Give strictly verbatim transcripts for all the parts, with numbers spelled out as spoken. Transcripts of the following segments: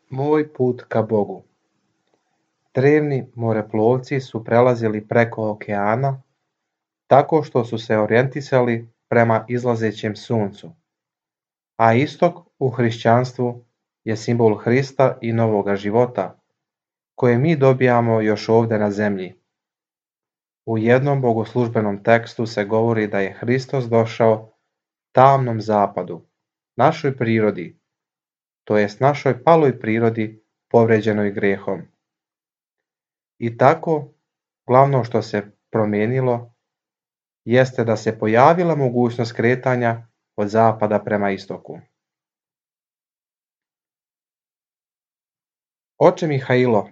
Moj put ka Bogu. Drevni moreplovci su prelazili preko okeana tako što su se orijentisali prema izlazećem suncu, a istok u hrišćanstvu je simbol Hrista i novoga života, koje mi dobijamo još ovdje na zemlji. U jednom bogoslužbenom tekstu se govori da je Hristos došao tamnom zapadu, našoj prirodi, to jest našoj paloj prirodi povređenoj grehom. I tako, glavno što se promijenilo jeste da se pojavila mogućnost kretanja od zapada prema istoku. Oče Mihailo,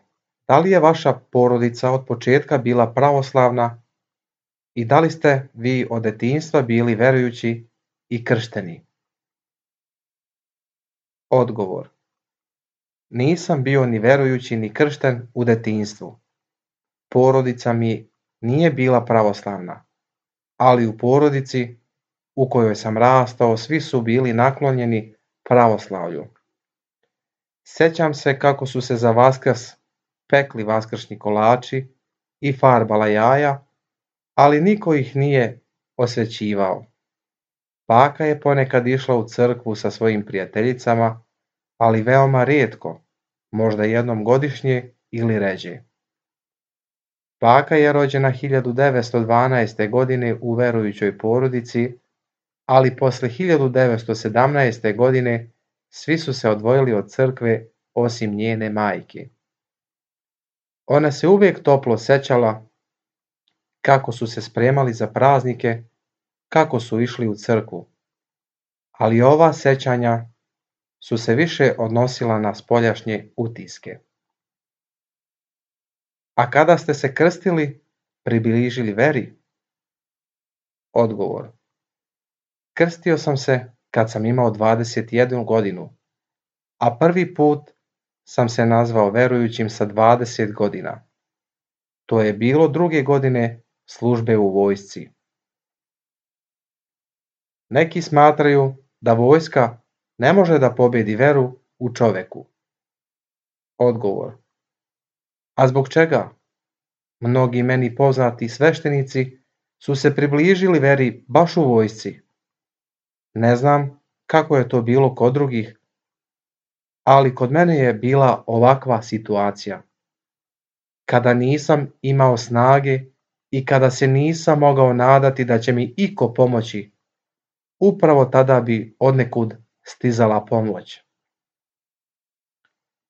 da li je vaša porodica od početka bila pravoslavna i da li ste vi od detinjstva bili verujući i kršteni? Odgovor. Nisam bio ni verujući ni kršten u detinjstvu. Porodica mi nije bila pravoslavna, ali u porodici u kojoj sam rastao svi su bili naklonjeni pravoslavlju. Sjećam se kako su se za Vaskrs pekli vaskršnji kolači i farbala jaja, ali niko ih nije osvećivao. Baka je ponekad išla u crkvu sa svojim prijateljicama, ali veoma rijetko, možda jednom godišnje ili ređe. Baka je rođena hiljadu devetsto dvanaeste. godine u verujućoj porodici, ali posle hiljadu devetsto sedamnaeste. godine svi su se odvojili od crkve osim njene majke. Ona se uvijek toplo sećala kako su se spremali za praznike, kako su išli u crkvu, ali ova sećanja su se više odnosila na spoljašnje utiske. A kada ste se krstili, približili veri? Odgovor. Krstio sam se kad sam imao dvadeset jednu godinu, a prvi put sam se nazvao verujućim sa dvadeset godina. To je bilo druge godine službe u vojsci. Neki smatraju da vojska ne može da pobedi veru u čoveku. Odgovor. A zbog čega? Mnogi meni poznati sveštenici su se približili veri baš u vojsci. Ne znam kako je to bilo kod drugih, ali kod mene je bila ovakva situacija. Kada nisam imao snage i kada se nisam mogao nadati da će mi iko pomoći, upravo tada bi odnekud stizala pomoć.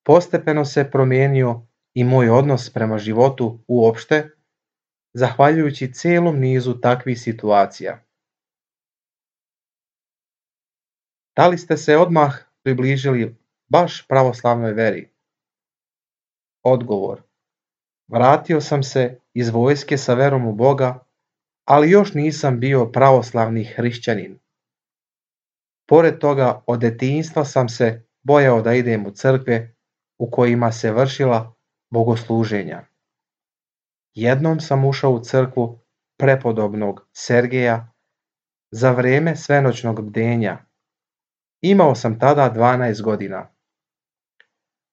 Postepeno se promijenio i moj odnos prema životu uopšte, zahvaljujući cijelom nizu takvih situacija. Da li ste se odmah približili baš pravoslavnoj veri? Odgovor. Vratio sam se iz vojske sa verom u Boga, ali još nisam bio pravoslavni hrišćanin. Pored toga, od detinjstva sam se bojao da idem u crkve u kojima se vršila bogosluženja. Jednom sam ušao u crkvu prepodobnog Sergeja za vrijeme svenoćnog bdenja. Imao sam tada dvanaest godina.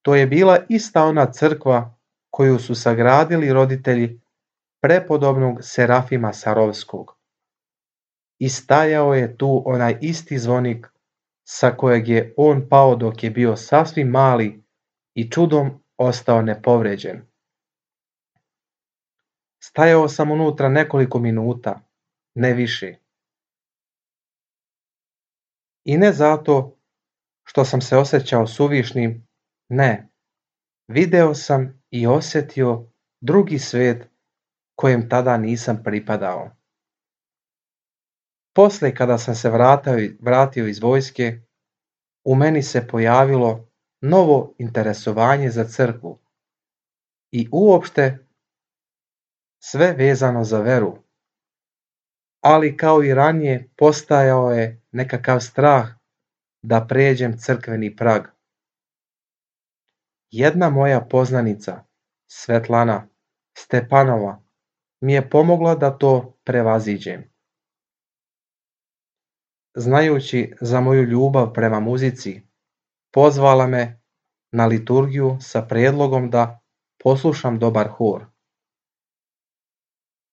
To je bila ista ona crkva koju su sagradili roditelji prepodobnog Serafima Sarovskog. I stajao je tu onaj isti zvonik sa kojeg je on pao dok je bio sasvim mali i čudom ostao nepovređen. Stajao sam unutra nekoliko minuta, ne više. I ne zato što sam se osjećao suvišnim, ne. Video sam i osjetio drugi svijet kojem tada nisam pripadao. Poslije kada sam se vratio, vratio iz vojske, u meni se pojavilo novo interesovanje za crkvu i uopšte sve vezano za veru. Ali kao i ranije postajao je nekakav strah da pređem crkveni prag. Jedna moja poznanica, Svetlana Stepanova, mi je pomogla da to prevaziđem. Znajući za moju ljubav prema muzici, pozvala me na liturgiju sa prijedlogom da poslušam dobar hor.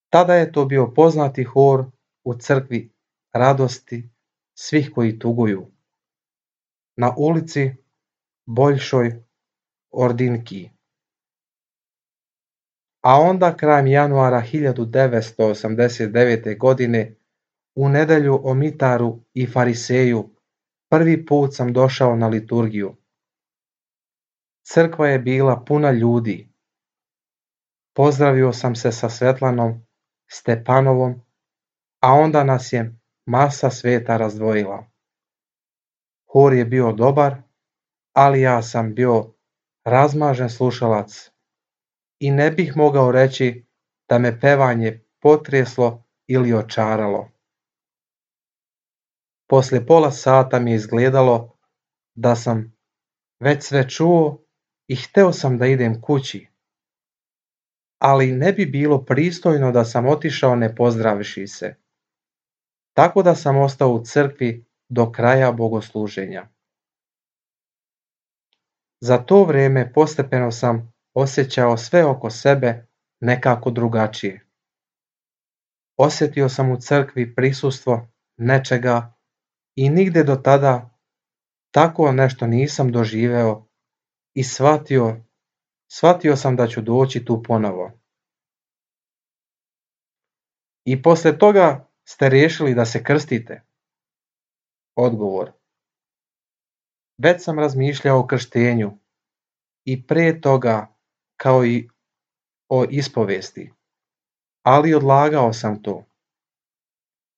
Tada je to bio poznati hor u crkvi radosti svih koji tuguju, na ulici Boljšoj Ordinki. A onda krajem januara hiljadu devetsto osamdeset devete. godine u nedelju o Mitaru i Fariseju prvi put sam došao na liturgiju. Crkva je bila puna ljudi. Pozdravio sam se sa Svetlanom Stepanovom, a onda nas je masa sveta razdvojila. Hor je bio dobar, ali ja sam bio razmažen slušalac i ne bih mogao reći da me pevanje potreslo ili očaralo. Poslije pola sata mi je izgledalo da sam već sve čuo i hteo sam da idem kući, ali ne bi bilo pristojno da sam otišao ne pozdravivši se. Tako da sam ostao u crkvi do kraja bogosluženja. Za to vrijeme postepeno sam osjećao sve oko sebe nekako drugačije. Osjetio sam u crkvi prisustvo nečega i nigde do tada tako nešto nisam doživeo i shvatio, shvatio sam da ću doći tu ponovo. I poslije toga ste riješili da se krstite? Odgovor. Već sam razmišljao o krštenju i prije toga kao i o ispovesti, ali odlagao sam to.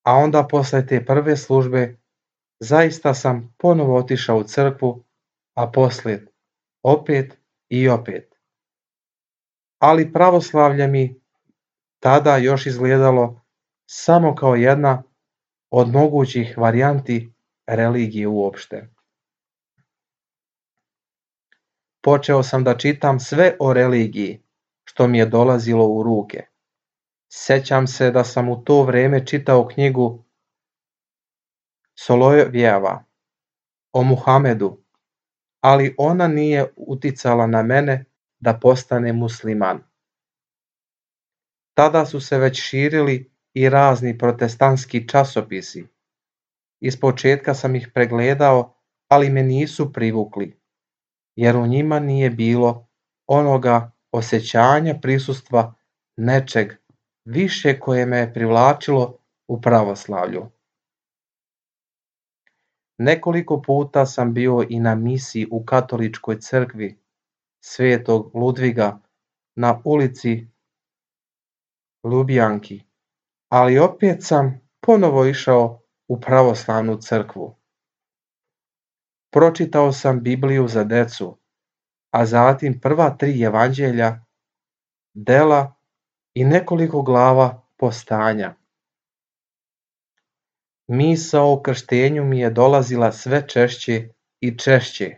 A onda posle te prve službe zaista sam ponovo otišao u crkvu, a poslije opet i opet. Ali pravoslavlje mi tada još izgledalo samo kao jedna od mogućih varijanti religije uopšte. Počeo sam da čitam sve o religiji što mi je dolazilo u ruke. Sjećam se da sam u to vrijeme čitao knjigu Solovjeva o Muhamedu, ali ona nije uticala na mene da postane musliman. Tada su se već širili i razni protestantski časopisi. Ispočetka sam ih pregledao, ali me nisu privukli, jer u njima nije bilo onoga osjećanja prisustva nečeg više koje me je privlačilo u pravoslavlju. Nekoliko puta sam bio i na misiji u katoličkoj crkvi Svetog Ludviga na ulici Ljubljanki, ali opet sam ponovo išao u pravoslavnu crkvu. Pročitao sam Bibliju za decu, a zatim prva tri evanđelja, dela i nekoliko glava postanja. Misao o krštenju mi je dolazila sve češće i češće,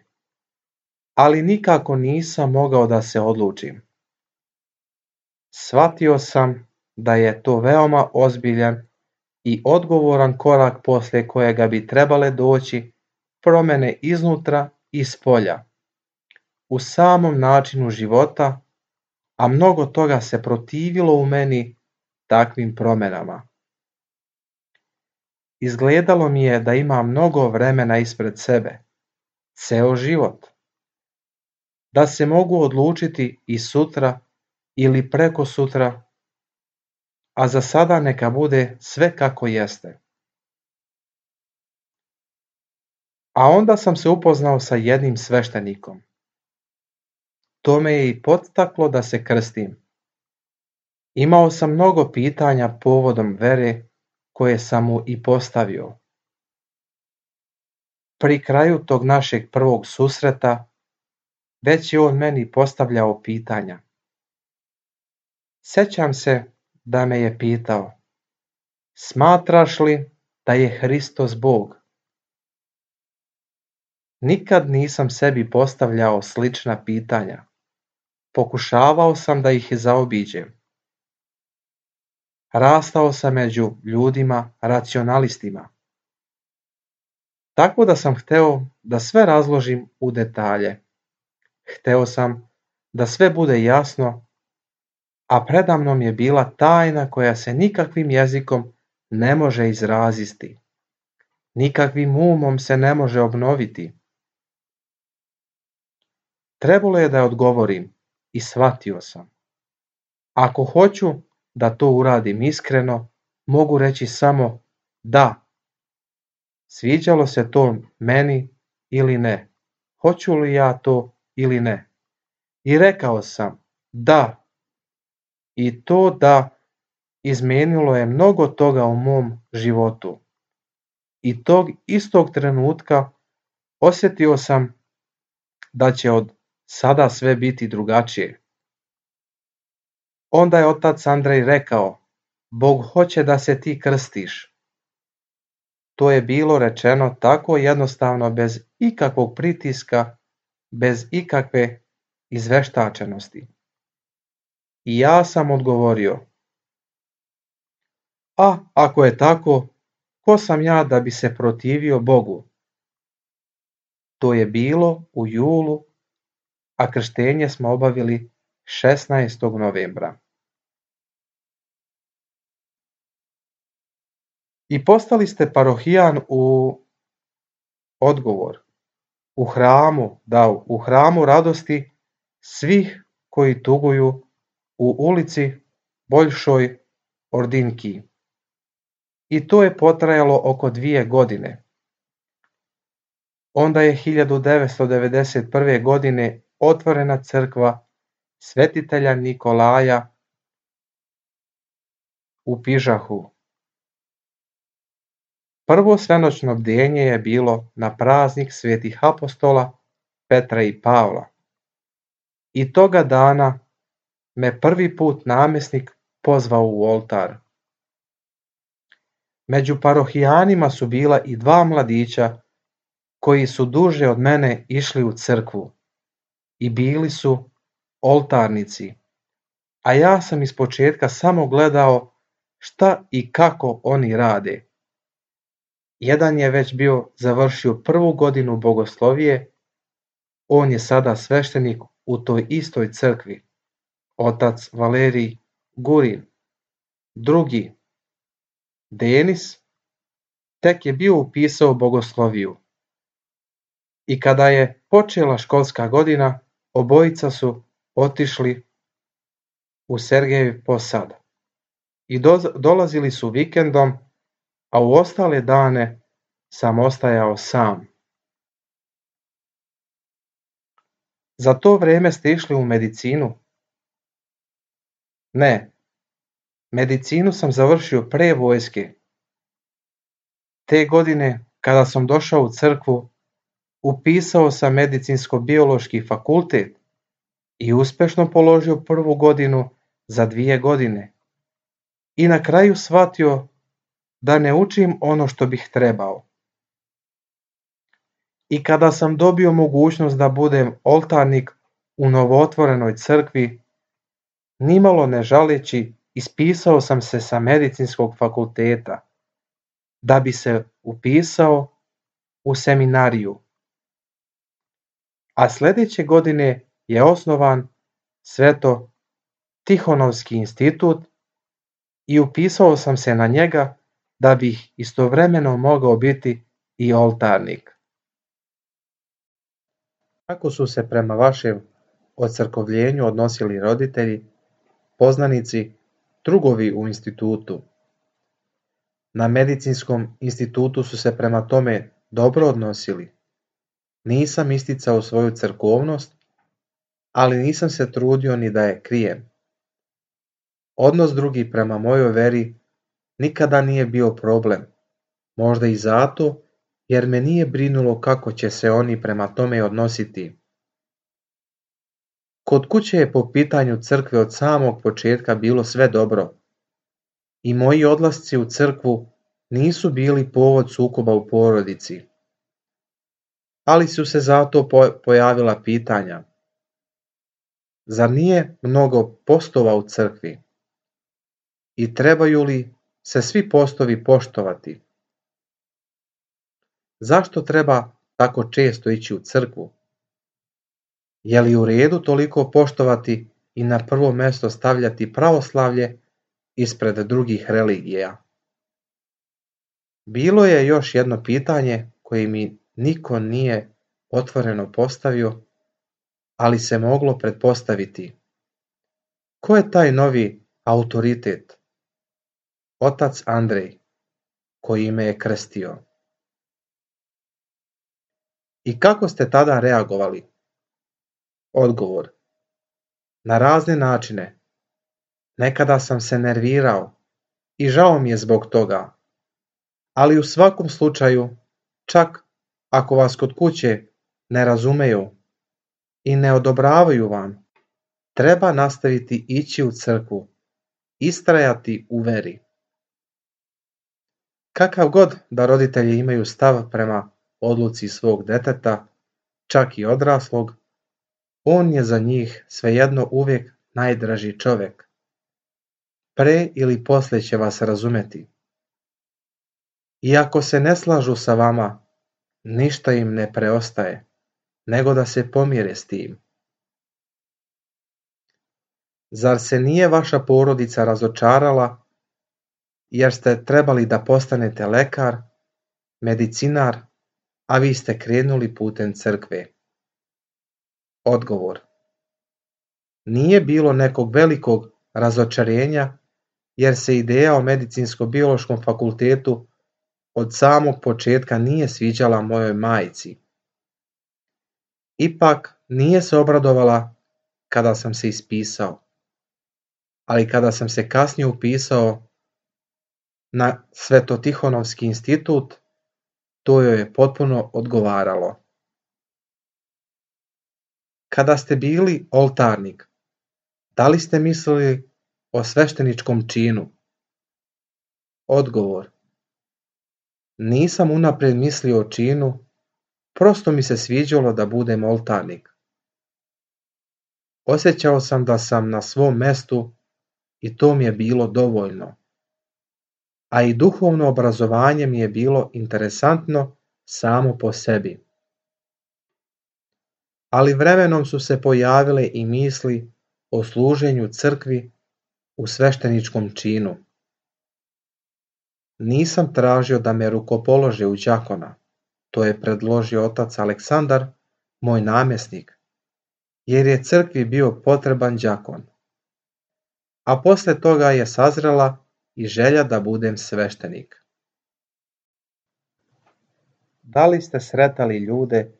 ali nikako nisam mogao da se odlučim. Shvatio sam da je to veoma ozbiljan i odgovoran korak poslije kojega bi trebale doći promjene iznutra i spolja, u samom načinu života, a mnogo toga se protivilo u meni takvim promjenama. Izgledalo mi je da imam mnogo vremena ispred sebe, ceo život, da se mogu odlučiti i sutra ili preko sutra, a za sada neka bude sve kako jeste. A onda sam se upoznao sa jednim sveštenikom. To me je i podstaklo da se krstim. Imao sam mnogo pitanja povodom vere koje sam mu i postavio. Pri kraju tog našeg prvog susreta već je on meni postavljao pitanja. Sjećam se da me je pitao: smatraš li da je Hristos Bog? Nikad nisam sebi postavljao slična pitanja. Pokušavao sam da ih zaobiđem. Rastao sam među ljudima racionalistima. Tako da sam hteo da sve razložim u detalje. Hteo sam da sve bude jasno, a predamnom je bila tajna koja se nikakvim jezikom ne može izraziti. Nikakvim umom se ne može obnoviti. Trebalo je da odgovorim i shvatio sam. Ako hoću da to uradim iskreno, mogu reći samo da. Sviđalo se to meni ili ne. Hoću li ja to ili ne? I rekao sam da. I to da izmenilo je mnogo toga u mom životu. I tog istog trenutka osjetio sam da će od sada sve biti drugačije. Onda je otac Andrej rekao, Bog hoće da se ti krstiš. To je bilo rečeno tako jednostavno, bez ikakvog pritiska, bez ikakve izveštačenosti. I ja sam odgovorio, a ako je tako, ko sam ja da bi se protivio Bogu? To je bilo u julu, a krštenje smo obavili šesnaestog novembra. I postali ste parohijan u odgovor, u hramu, da, u hramu radosti svih koji tuguju u ulici Boljšoj Ordinki. I to je potrajalo oko dvije godine. Onda je hiljadu devetsto devedeset prve. godine otvorena crkva svetitelja Nikolaja u Pižahu. Prvo svenoćno bdenje je bilo na praznik svetih apostola Petra i Pavla. I toga dana me prvi put namjesnik pozvao u oltar. Među parohijanima su bila i dva mladića koji su duže od mene išli u crkvu i bili su oltarnici, a ja sam ispočetka samo gledao šta i kako oni rade. Jedan je već bio završio prvu godinu bogoslovije, on je sada sveštenik u toj istoj crkvi, otac Valerij Gurin. Drugi, Denis, tek je bio upisao bogosloviju. I kada je počela školska godina, obojica su otišli u Sergejev Posad i do, dolazili su vikendom, a u ostale dane sam ostajao sam. Za to vrijeme ste išli u medicinu? Ne, medicinu sam završio pre vojske. Te godine, kada sam došao u crkvu, upisao sam medicinsko-biološki fakultet i uspešno položio prvu godinu za dvije godine. I na kraju shvatio da ne učim ono što bih trebao. I kada sam dobio mogućnost da budem oltarnik u novootvorenoj crkvi, nimalo ne žaleći, ispisao sam se sa medicinskog fakulteta da bi se upisao u seminariju. A sljedeće godine je osnovan Sveto Tihonovski institut i upisao sam se na njega da bih istovremeno mogao biti i oltarnik. Kako su se prema vašem ocrkovljenju odnosili roditelji, poznanici, drugovi u institutu? Na medicinskom institutu su se prema tome dobro odnosili. Nisam isticao svoju crkovnost, ali nisam se trudio ni da je krijem. Odnos drugih prema mojoj veri nikada nije bio problem, možda i zato jer me nije brinulo kako će se oni prema tome odnositi. Kod kuće je po pitanju crkve od samog početka bilo sve dobro i moji odlasci u crkvu nisu bili povod sukoba u porodici. Ali su se zato pojavila pitanja. Zar nije mnogo postova u crkvi? I trebaju li se svi postovi poštovati? Zašto treba tako često ići u crkvu? Je li u redu toliko poštovati i na prvo mjesto stavljati pravoslavlje ispred drugih religija? Bilo je još jedno pitanje koje mi niko nije otvoreno postavio, ali se moglo pretpostaviti. Ko je taj novi autoritet? Otac Andrej, koji me je krstio. I kako ste tada reagovali? Odgovor. Na razne načine. Nekada sam se nervirao i žao mi je zbog toga. Ali u svakom slučaju, čak ako vas kod kuće ne razumeju i ne odobravaju vam, treba nastaviti ići u crkvu, istrajati u veri. Kakav god da roditelji imaju stav prema odluci svog deteta, čak i odraslog, on je za njih svejedno uvijek najdraži čovjek. Pre ili poslije će vas razumeti. I ako se ne slažu sa vama, ništa im ne preostaje, nego da se pomire s tim. Zar se nije vaša porodica razočarala, jer ste trebali da postanete lekar, medicinar, a vi ste krenuli putem crkve? Odgovor. Nije bilo nekog velikog razočarenja, jer se ideja o medicinsko-biološkom fakultetu od samog početka nije sviđala mojoj majci. Ipak nije se obradovala kada sam se ispisao, ali kada sam se kasnije upisao na Svetotihonovski institut, to joj je potpuno odgovaralo. Kada ste bili oltarnik, da li ste mislili o svešteničkom činu? Odgovor. Nisam unaprijed mislio o činu, prosto mi se sviđalo da budem oltarnik. Osjećao sam da sam na svom mestu i to mi je bilo dovoljno. A i duhovno obrazovanje mi je bilo interesantno samo po sebi. Ali vremenom su se pojavile i misli o služenju crkvi u svešteničkom činu. Nisam tražio da me rukopolože u đakona, to je predložio otac Aleksandar, moj namjesnik, jer je crkvi bio potreban đakon. A posle toga je sazrela i želja da budem sveštenik. Da li ste sretali ljude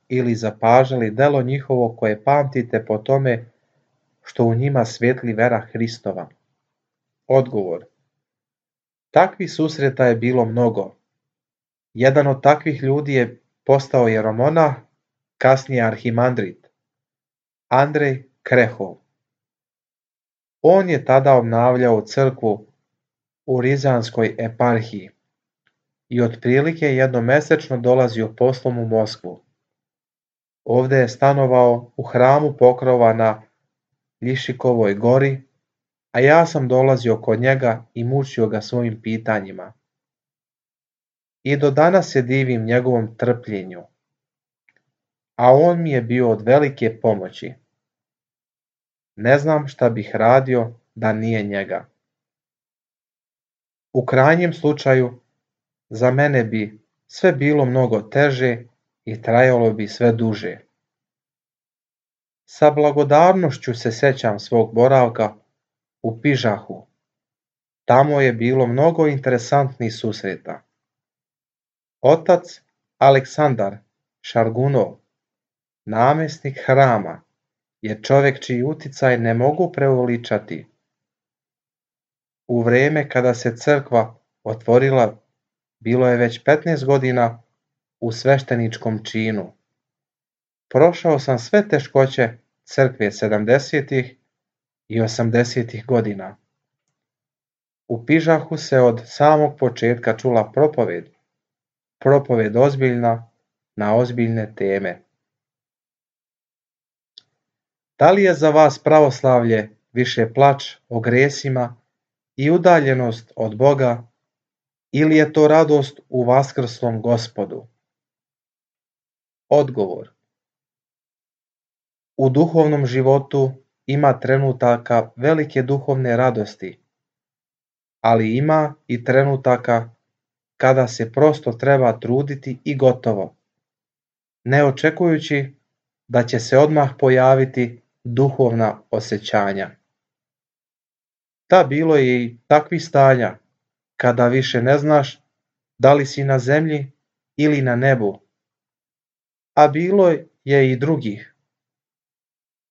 ili zapažali delo njihovo koje pamtite po tome što u njima svijetli vera Hristova? Odgovor. Takvih susreta je bilo mnogo. Jedan od takvih ljudi je postao jeromonah, kasnije arhimandrit, Andrej Krehov. On je tada obnavljao crkvu u Rizanskoj eparhiji i otprilike jednomesečno dolazio poslom u Moskvu. Ovdje je stanovao u hramu Pokrova na Ljišikovoj gori, a ja sam dolazio kod njega i mučio ga svojim pitanjima. I do danas se divim njegovom trpljenju, a on mi je bio od velike pomoći. Ne znam šta bih radio da nije njega. U krajnjem slučaju, za mene bi sve bilo mnogo teže i trajalo bi sve duže. Sa blagodarnošću se sećam svog boravka u Pižahu. Tamo je bilo mnogo interesantnih susreta. Otac Aleksandar Šargunov, namjesnik hrama, je čovjek čiji uticaj ne mogu preuveličati. U vrijeme kada se crkva otvorila, bilo je već petnaest godina u svešteničkom činu. Prošao sam sve teškoće crkve sedamdesetih i osamdesetih godina. U Pižahu se od samog početka čula propoved, propoved ozbiljna na ozbiljne teme. Da li je za vas pravoslavlje više plač o gresima i udaljenost od Boga, ili je to radost u vaskrslom Gospodu? Odgovor. U duhovnom životu ima trenutaka velike duhovne radosti, ali ima i trenutaka kada se prosto treba truditi i gotovo, ne očekujući da će se odmah pojaviti duhovna osjećanja. Da, bilo je i takvih stanja kada više ne znaš da li si na zemlji ili na nebu, a bilo je i drugih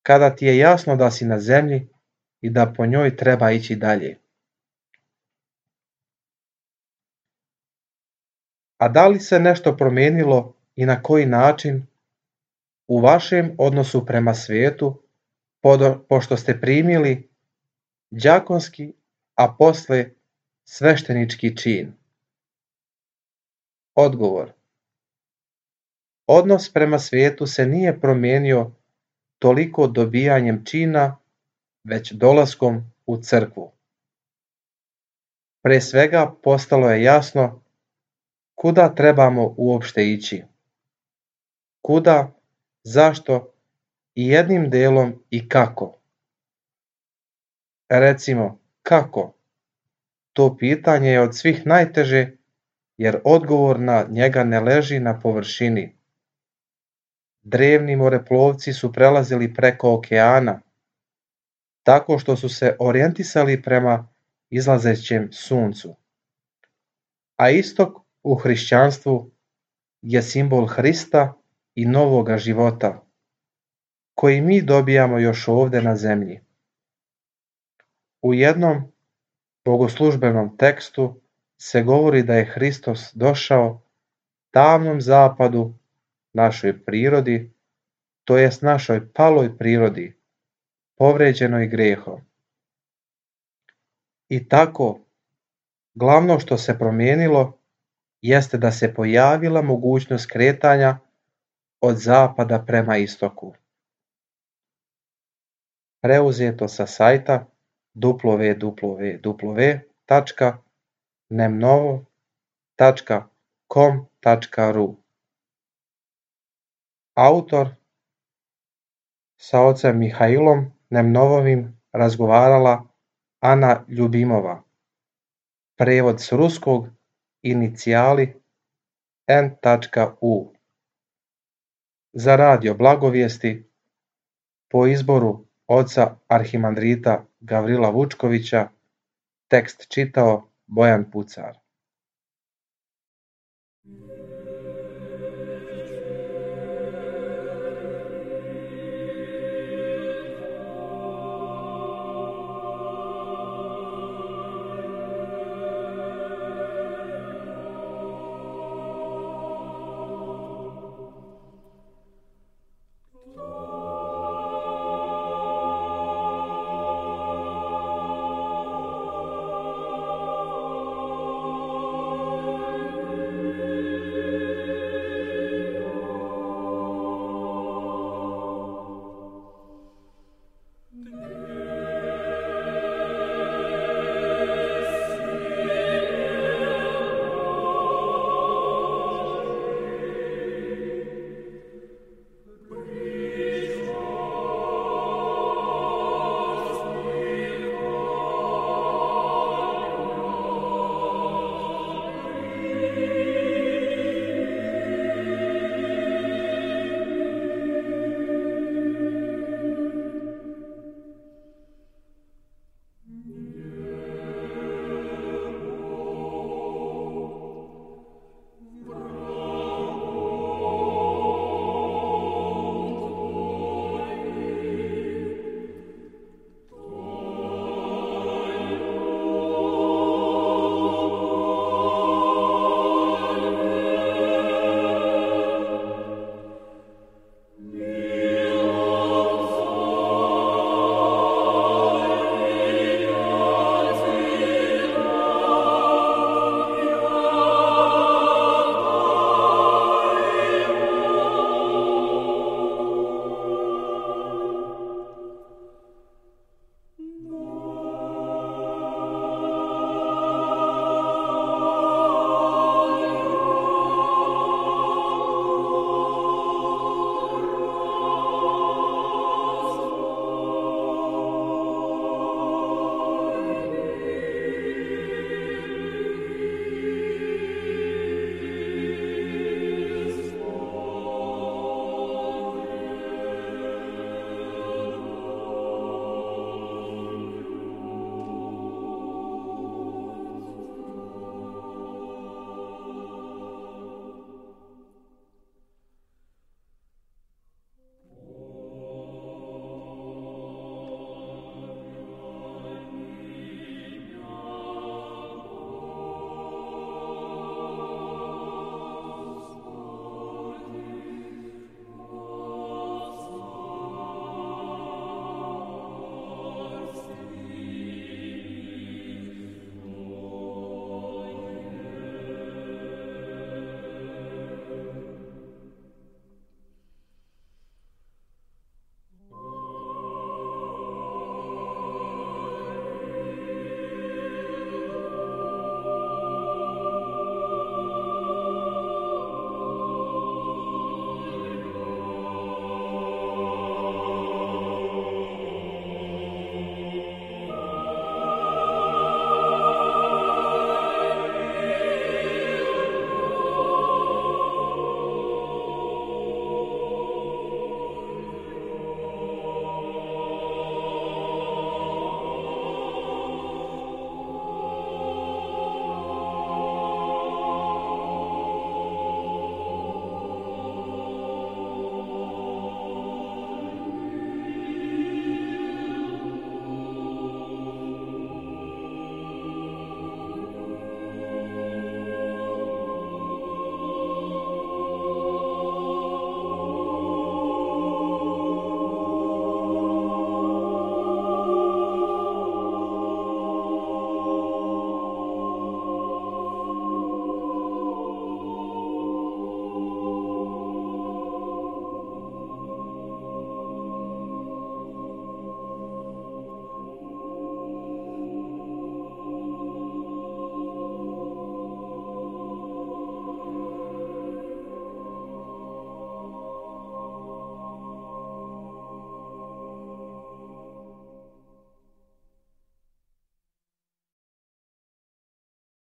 kada ti je jasno da si na zemlji i da po njoj treba ići dalje. A da li se nešto promijenilo i na koji način u vašem odnosu prema svijetu, pošto ste primili đakonski, a posle sveštenički čin? Odgovor. Odnos prema svijetu se nije promijenio toliko dobijanjem čina, već dolaskom u crkvu. Pre svega postalo je jasno kuda trebamo uopšte ići. Kuda, zašto i jednim delom i kako. Recimo, kako? To pitanje je od svih najteže, jer odgovor na njega ne leži na površini. Drevni moreplovci su prelazili preko okeana, tako što su se orijentisali prema izlazećem suncu. A istok u hrišćanstvu je simbol Hrista i novoga života, koji mi dobijamo još ovde na zemlji. U jednom bogoslužbenom tekstu se govori da je Hristos došao tamnom zapadu, našoj prirodi, to jest našoj paloj prirodi, povređenoj grehom. I tako, glavno što se promijenilo jeste da se pojavila mogućnost kretanja od zapada prema istoku. Preuzeto sa sajta w w w tačka nemnovo tačka com tačka r u. Autor sa ocem Mihailom Nemnovovim razgovarala Ana Ljubimova. Prevod s ruskog, inicijali en u. Za radio Blagovijesti po izboru oca arhimandrita Gavrila Vučkovića, tekst čitao Bojan Pucar.